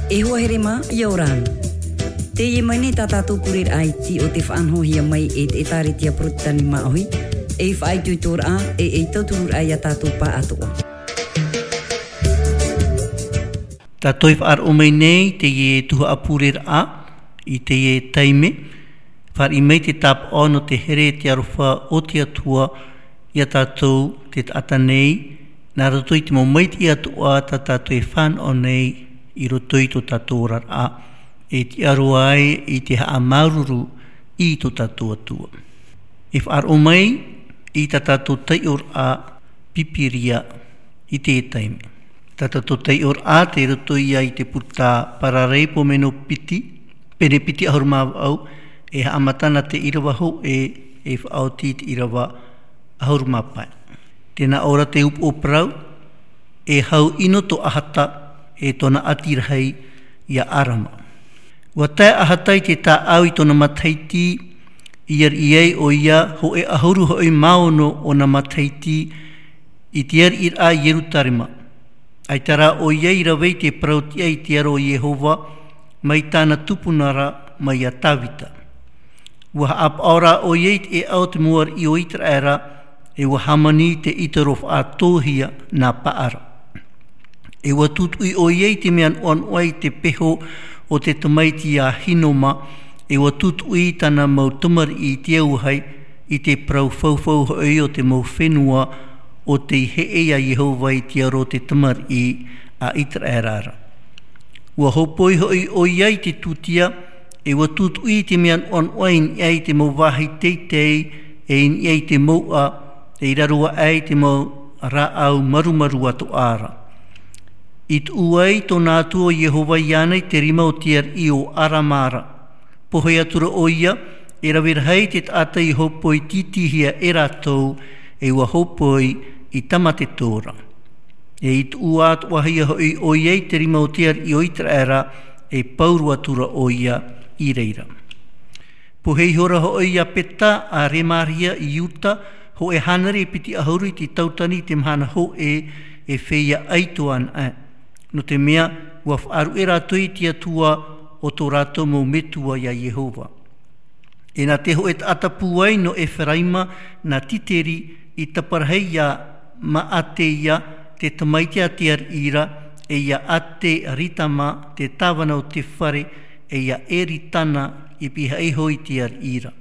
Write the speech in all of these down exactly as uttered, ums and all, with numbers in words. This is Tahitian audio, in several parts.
E hoa here mā, ʻia ora na. Teie mai nei tā tātou pureraʻa iti o te faʻanahohia mai e te ʻĒtārētia Porotetani Māʻohi, ei faʻaitoitoraʻa, e ei tautururaʻa ia tātou pāʻatoʻa. Tātou e faʻaroʻo mai nei teie tuhaʻa pureraʻa i teie taime, fāriʻi mai te tāpaʻo nō te here e te aroha o te Atua ia tātou te taʻata nei, nā roto i te mau maitaʻi atoʻa tā tātou e fānaʻo nei i roto i tō tātou oraraʻa, e tiʻa roa ai i te haʻamāuruuru i tō tātou Atua. E faʻaroʻo mai i tā tātou taiʻoraʻa Pīpīria i teie taime. Tā tātou taiʻoraʻa tei roto ia i te puta Paraleipomeno piti, pene piti ʻahuru mā vaʻu, e haʻamata na te ʻīrava hōʻē, e faʻaoti i te ʻīrava ʻahuru mā pae. Tē nā ʻō ra te upoʻo parau, e hau ʻino tō ʻAhata, e tōna ʻati rahi ia Arama. ʻUa tae ʻAhata i te tāʻau i tōna matahiti, i ariʻi ai ʻoia hōʻē ʻahuru hoʻi mā ono ōna matahiti, i te ariʻiraʻa i Ierutarema. ʻAita rā ʻoia i rave i te parau tiʻa i te aro o Iehova, mai tāna tupuna ra, mai iā Tāvita. ʻUa haʻapaʻo rā ʻoia i te ʻēʻa o te mau ariʻi o Iteraera, e ʻua hāmani i te ʻītoro faʻatōhia nā Paara. E ʻua tūtuʻi ʻoia i te mea noʻanoʻa i te peho o te tamaiti a Hinoma, e ʻua tūtuʻi i tāna mau tamariʻi i te auahi, i te parau faufaʻa hoʻi o te mau fenua o tei heʻe iā Iehova i te aro o te tamariʻi a Iteraera ra. ʻUa hōpoi hoʻi ʻoia i te tūtia, e ʻua tūtuʻi i te mea noʻanoʻa i niʻa i te mau vāhi teitei, e i niʻa i te mouʻa, e i raro aʻe i te mau rāʻau marumaru atoʻa ra. I tuʻu ai tōna Atua ʻo Iehova iāna i te rima o te ariʻi o Arama ra. Pohe atu ra ʻoia, e rave rahi te taʻata i hōpoi tītīhia e rātou, e ʻua hōpoi i tāmate tō ra. E i tuʻu atoʻahia hoʻi ʻoia i te rima o te ariʻi o Iteraera, e pauroa atu ra ʻoia i reira. Pohe ihora hoʻi iā Peta a Remaria i Iuta, hōʻē hānere piti ʻahuru i te tautani i te mahana hōʻē, e feiā ʻaito anaʻe. Nō te mea, ʻua faʻaruʻe rātou i te Atua o tō rātou mau metua iā Iehova. E nā te hōʻē taʻata pūai nō Eferaima, nā Titeri, i taparahi iā Maateia, te tamaiti a te ariʻi ra, e iā Ateritama, te tāvana o te fare, e iā Eritana, i pihaʻi iho i te ariʻi ra.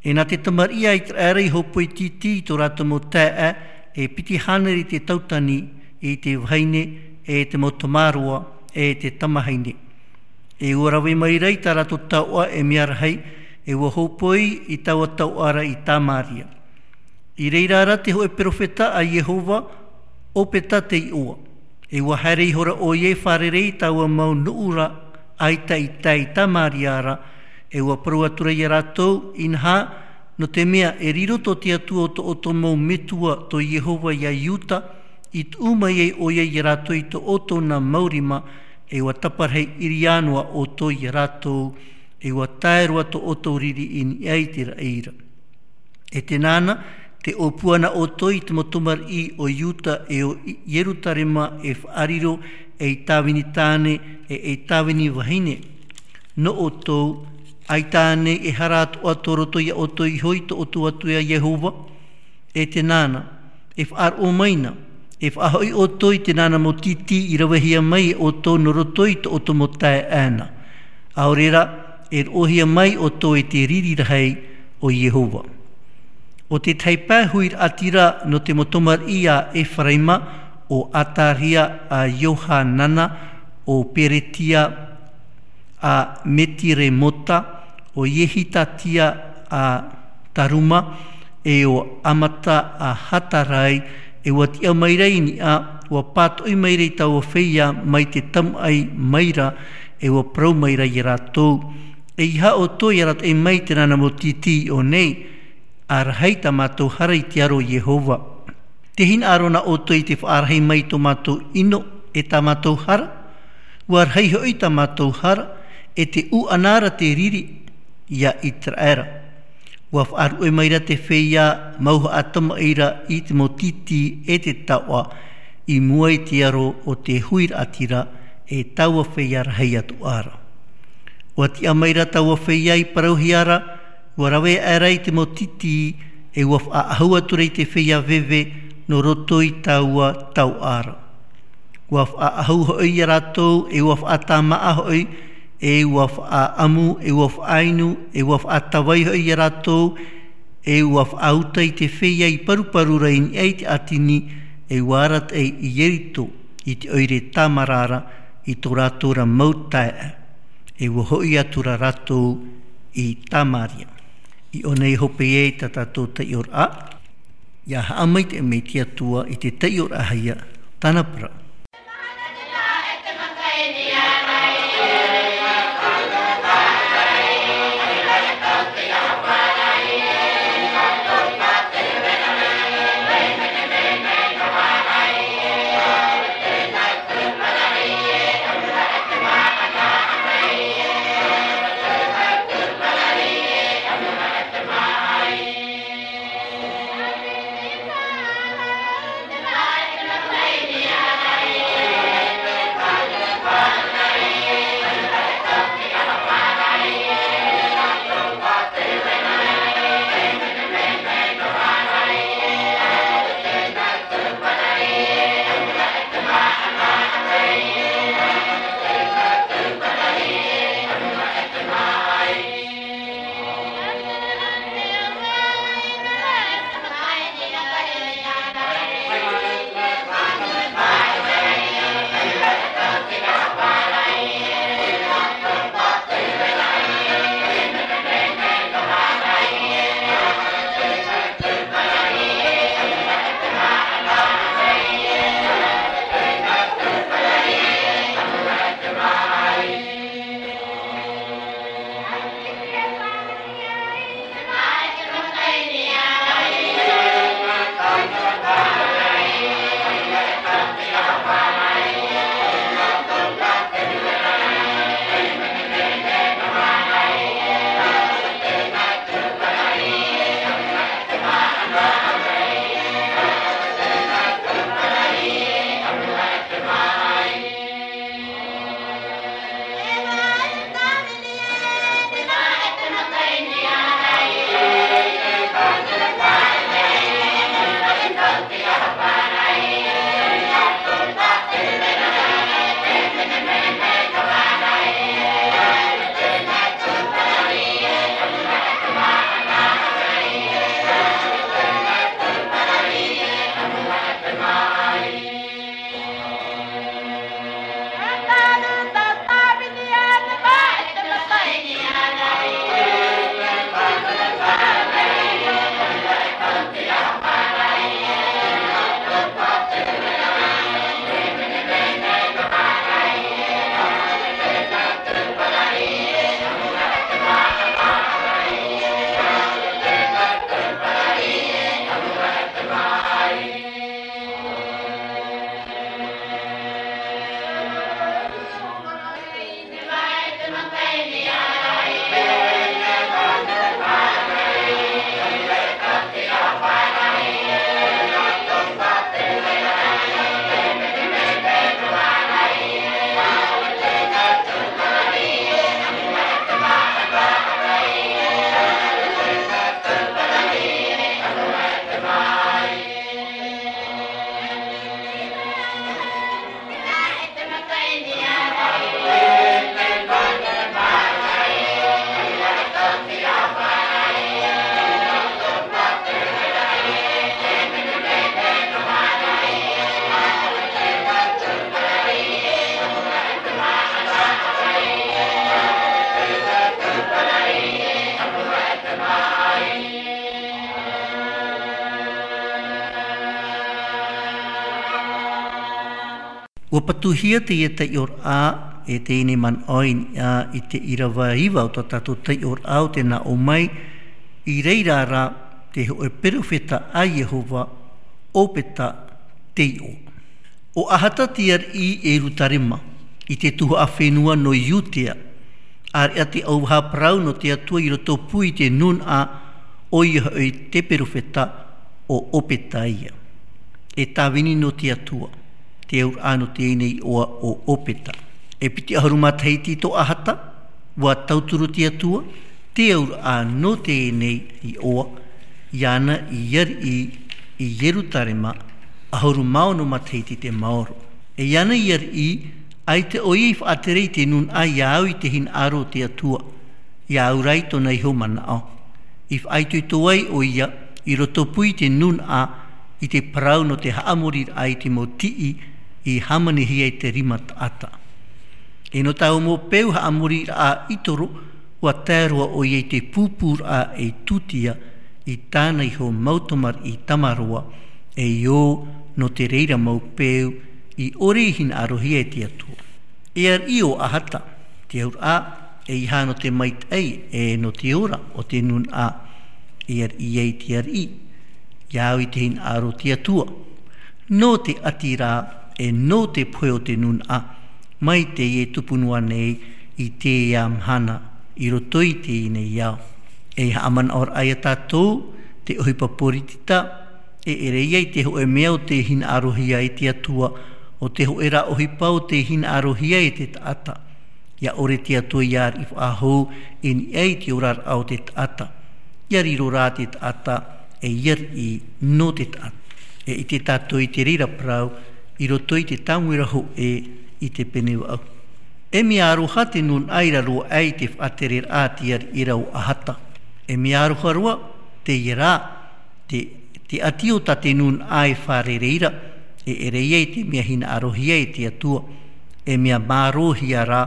E nā te tamariʻi a Iteraera i hōpoi tītī i tō rātou mau taeaʻe, e piti hānere i te tautani, i te vahine, e te mau tamaroa, e te tamahine. E ʻua rave mai ra i tā rātou taoʻa e mea rahi, e ʻua hōpoi i taua taoʻa ra i Tamaria. I reira ra te hōʻē perofeta a Iehova, ʻo Peta te iʻoa. E ʻua haere ihora ʻoia e fārerei i taua mau nuʻu ra, ʻaita i tae i Tamaria ra, e ʻua parau atu ra iā rātou, inaha, nō te mea e riro tō te Atua o tō ʻoutou mau metua tō Iehova iā Iuta, i tuʻu mai ai ʻoia iā rātou i tō ʻoutou nā mau rima, e ʻua taparahi ʻiriā noa ʻoutou iā rātou, e ʻua tae roa tō ʻoutou riri i niʻa i te raʻi ra. E tēnā na, tē ʻōpua na ʻoutou i te mau tamariʻi o Iuta e o I-, Ierutarema e faʻariro ei tāvini tāne e ei tāvini vahine. Nō ʻoutou, ʻaita ānei e hara atoʻa tō roto iā ʻoutou iho i tō ʻoutou Atua iā Iehova? E tēnā na, e faʻaroʻo mai na, e faʻahoʻi ʻoutou i te nānā mau tītī i ravehia mai e ʻoutou nō roto i tō ʻoutou mau taeaʻe na. ʻAore rā, e roʻohia mai ʻoutou e te riri rahi o Iehova. ʻO te tahi pae huiraʻatira nō te mau tamariʻi a Eferaima, ʻo Ataria a Iohanana, ʻo Peretia a Metiremota, ʻo Iehitatia a Taruma, e ʻo Amata a Hatarai, e ʻua tiʻa mai ra i niʻa, ʻua pātoʻi mai ra i taua feiā mai te tamaʻi mai ra, e ʻua parau mai ra iā rātou. ʻEiaha ʻoutou e arataʻi mai i te nānā mau tītī i ʻō nei, ʻa rahi tā mātou hara i te aro o Iehova. Tē hinaʻaro na ʻoutou i te faʻarahi mai i tō mātou ʻino, e tā mātou hara, ʻua rahi hoʻi tā mātou hara, e te ʻūʻana ra te riri, iā Iteraera. ʻUa faʻaruʻe mai ra te feiā mau haʻatamaʻi ra i te mau tītī e te taoʻa, i mua i te aro o te huiraʻatira, e taua feiā rahi atu ra. ʻUa tiʻa mai ra taua feiā i parauhia ra, ʻua rave aʻera i te mau titi, e ʻua faʻaʻahu atu ra i te feiā veve, nō roto i taua tauʻa ra. ʻUa faʻaʻahu hoʻi ia rātou, e ʻua faʻatāmaʻa hoʻi, e ʻua faʻaʻamu, e ʻua faʻainu, e ʻua faʻatavai hoʻi ia rātou, e ʻua faʻauta i te feiā i paruparu ra i niʻa i te ʻātini, e ʻua arataʻi i Ieriko, i te ʻoire tāmara ra, i tō rātou ra mau taeaʻe, e ʻua hoʻi atu ra rātou i Samaria. I ʻō nei hopeʻa tā tātou taiʻoraʻa, ʻia haʻamaitaʻi mai te Atua i te taiʻoraʻahia, tāna parau. ʻUa patuhia teie taiʻoraʻa e teie nei manaʻo i niʻa i te ʻīrava iva o tā tātou taiʻoraʻa o te nā ʻō mai, i reira ra te hōʻē perofeta a Iehova, ʻOpeta te iʻoa. ʻO Ahasa te ariʻi i Ierusalema, i te tuhaʻa fenua nō Iudea, ʻāreʻa te ʻauvaha parau nō te Atua i rotopū i te nūnaʻa, ʻoia hoʻi te perofeta ʻo ʻOpeta ia. E tāvini nō te Atua, te auraʻa nō teie nei iʻoa ʻo ʻOpeta. E piti ʻahuru matahiti tō ʻAhata, ʻua tauturu te Atua, te auraʻa nō teie nei iʻoa, iāna i ariʻi i Ierutarema, ʻahuru mā ono matahiti te maoro. E iāna i ariʻi, ʻaita ʻoia i faʻatere i te nūnaʻa ia au i te hinaʻaro o te Atua, ia au rā i tōna iho manaʻo. I faʻaitoito ai ʻoia, i rotopū i te nūnaʻa, i te parau nō te haʻamoriraʻa i te mau tiʻi, i hāmanihia e te rima taʻata. E nō taua mau peu haʻamoriraʻa ʻĪtoro, ʻua tae roa ʻoia i te pūpūraʻa ei tūtia, i tāna iho mau tamariʻi tamaroa, e ʻō nō te reira mau peu, i ʻore i hinaʻarohia e te Atua. E ariʻi ʻo ʻAhata, te auraʻa, ʻeiaha nō te maitaʻi, e nō te ora o te nūnaʻa, e ariʻi ai te ariʻi, ia au i te hinaʻaro o te Atua. Nō te ʻati rā, e nō te pohe o te nūnaʻa, mai teie tupu noa nei, i teie mahana, i roto i teie nei ao. E haʻamanaʻo ra ia tātou, te ʻohipa poritita, e ʻere ia i te hōʻē mea o tē hinaʻarohia e te Atua, ʻo te hōʻē rā ʻohipa o tē hinaʻarohia e te taʻata. Ia ʻore te Atua ia ariʻi faʻahou i niʻa i te oraraʻa o te taʻata. Ia riro rā te taʻata ei ariʻi nō te taʻata. E ʻite tātou i te reira parau i roto i te tāmuiraʻa hōʻē i te pene vaʻu. E mea aroha te nūnaʻa i raro aʻe i te faʻatereraʻa a te ariʻi ra ʻo ʻAhata. E mea aroha roa, teie rā, te, te ʻati o tā te nūnaʻa e fārerei ra, e ʻere ia i te mea hinaʻarohia e te Atua, e mea mārohia rā,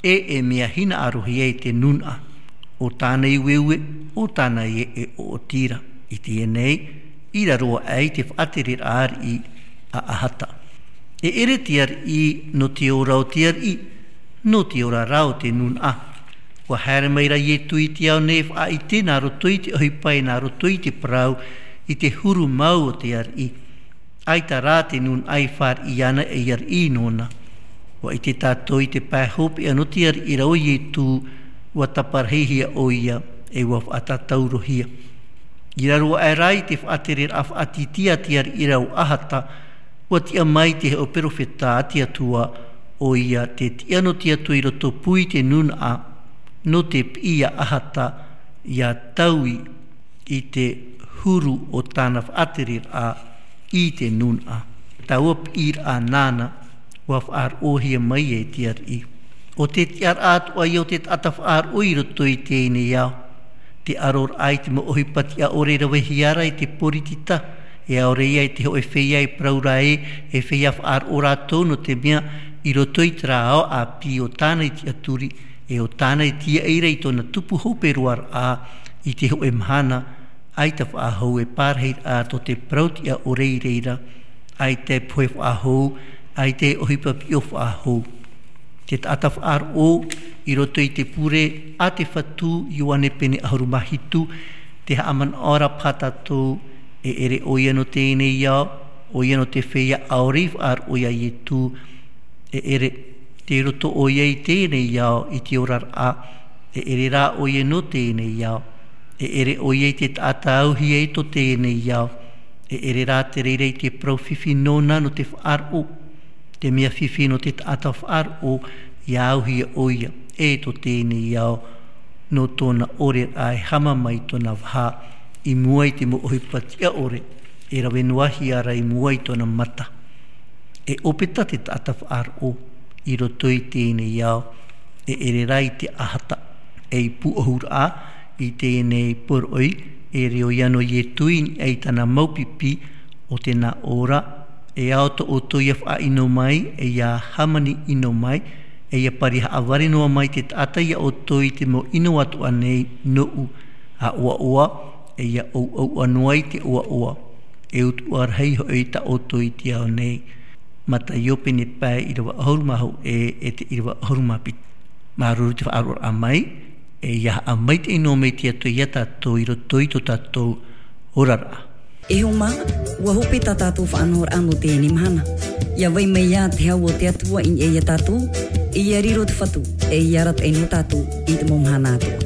e, e mea hinaʻarohia e te nūnaʻa. ʻO tāna i ueue, ʻo tāna i e, e ʻoʻoti ra. I teie nei, i raro aʻe i te faʻatereraʻa ariʻi a ʻAhata. E ʻere te ariʻi nō te ora o te ariʻi, nō te ora rā o te nūnaʻa. ʻUa haere mai ra Ietu i te ao nei e faʻaʻite nā roto i te ʻohipa e nā roto i te parau i te huru mau o te ariʻi. ʻAita rā te nūnaʻa i fāriʻi ana ei ariʻi nōna. ʻUa ʻite tātou i te pae hopeʻa nō te ariʻi ra ʻo Ietu, ʻua taparahihia ʻoia, e ʻua faʻatataurohia. I raro aʻe rā i te faʻatereraʻa faʻatītī a te ariʻi ra ʻo ʻAhata, ʻua tiʻa mai te hōʻē perofeta a te Atua, ʻoia te tiʻa nō te Atua i rotopū i te nūnaʻa, nō te piʻi ia ʻAhata, ia taui i te huru o tāna faʻatereraʻa i te nūnaʻa. Taua piʻiraʻa nāna, ʻua faʻaroʻohia mai e te ariʻi. ʻO te tiʻaraʻa atoʻa ia o te taʻata faʻaroʻo i roto i teie nei ao. Te ʻaroraʻa i te mau ʻohipa tiʻa ʻore e ravehia ra e te poritita, e ʻaore ia e te hōʻē feiā e parau ra ē, e feiā faʻaroʻo rātou nō te mea, i roto i terā ao ʻāpī ʻo tāna i tiʻaturi, e ʻo tāna i tīaʻi ra i tōna tupu hope roa ra, i te hōʻē mahana, ʻaita faʻahou e pārahiraʻa tō te parau tiʻa ʻore i reira, ʻaita e pohe faʻahou, ʻaita e ʻohipa piʻo faʻahou. Te taʻata faʻaroʻo, i roto i te pure a te Fatu, Ioane pene ʻahuru mā hitu, te haʻamanaʻo ra paha tātou, e ʻere ʻoia nō teie nei ao, ʻoia nō te feiā ʻaore i faʻaroʻo ia Ietu, e ʻere, tei roto ʻoia i teie nei ao, i te oraraʻa, e ʻere rā ʻoia nō teie nei ao, e ʻere ʻoia i te taʻata auhia i tō teie nei ao, e ʻere rā te reira i te parau fifi nōna nō te faʻaroʻo, te mea fifi nō te taʻata faʻaroʻo, ia auhia ʻoia, e tō teie nei ao, nō tōna ʻoreraʻa e hama mai tōna vaha, i mua i te mau ʻohipa tiʻa ʻore, e rave noa hia ra i mua i tōna mata. E ʻōpeta te taʻata faʻaroʻo, i roto i teie nei ao, e ʻere rā i te ʻAhata, ei pūʻohuraʻa, i teie nei poroʻi, e riro ia nō Ietu i niʻa i tāna mau pipi, ʻo te nā ʻō ra, e ao tō ʻoutou ia faʻaʻino mai, e ia hāmani ʻino mai, e ia pari haʻavare noa mai te taʻata ia ʻoutou i te mau ʻino atoʻa nei nōʻu, a ʻoaʻoa, e ia ʻouʻouʻa noa i te ʻoaʻoa, e utuʻa rahi hoʻi tā ʻoutou i te ao nei. Mataio pene pae ʻīrava ʻahuru mā hōʻē, e te ʻīrava ʻahuru mā piti. Māuruuru te faʻaroʻoraʻa mai, e ia haʻamaitaʻi noa mai te Atua ia tātou i roto i tō tātou oraraʻa. E hoa mā, ʻua hope tā tātou faʻanahoraʻa nō teie mahana. ʻIa vai mai ā te hau o te Atua i niʻa ia tātou, e ʻia riro te Fatu, e ʻia arataʻi nō tātou i te mau mahana atoʻa.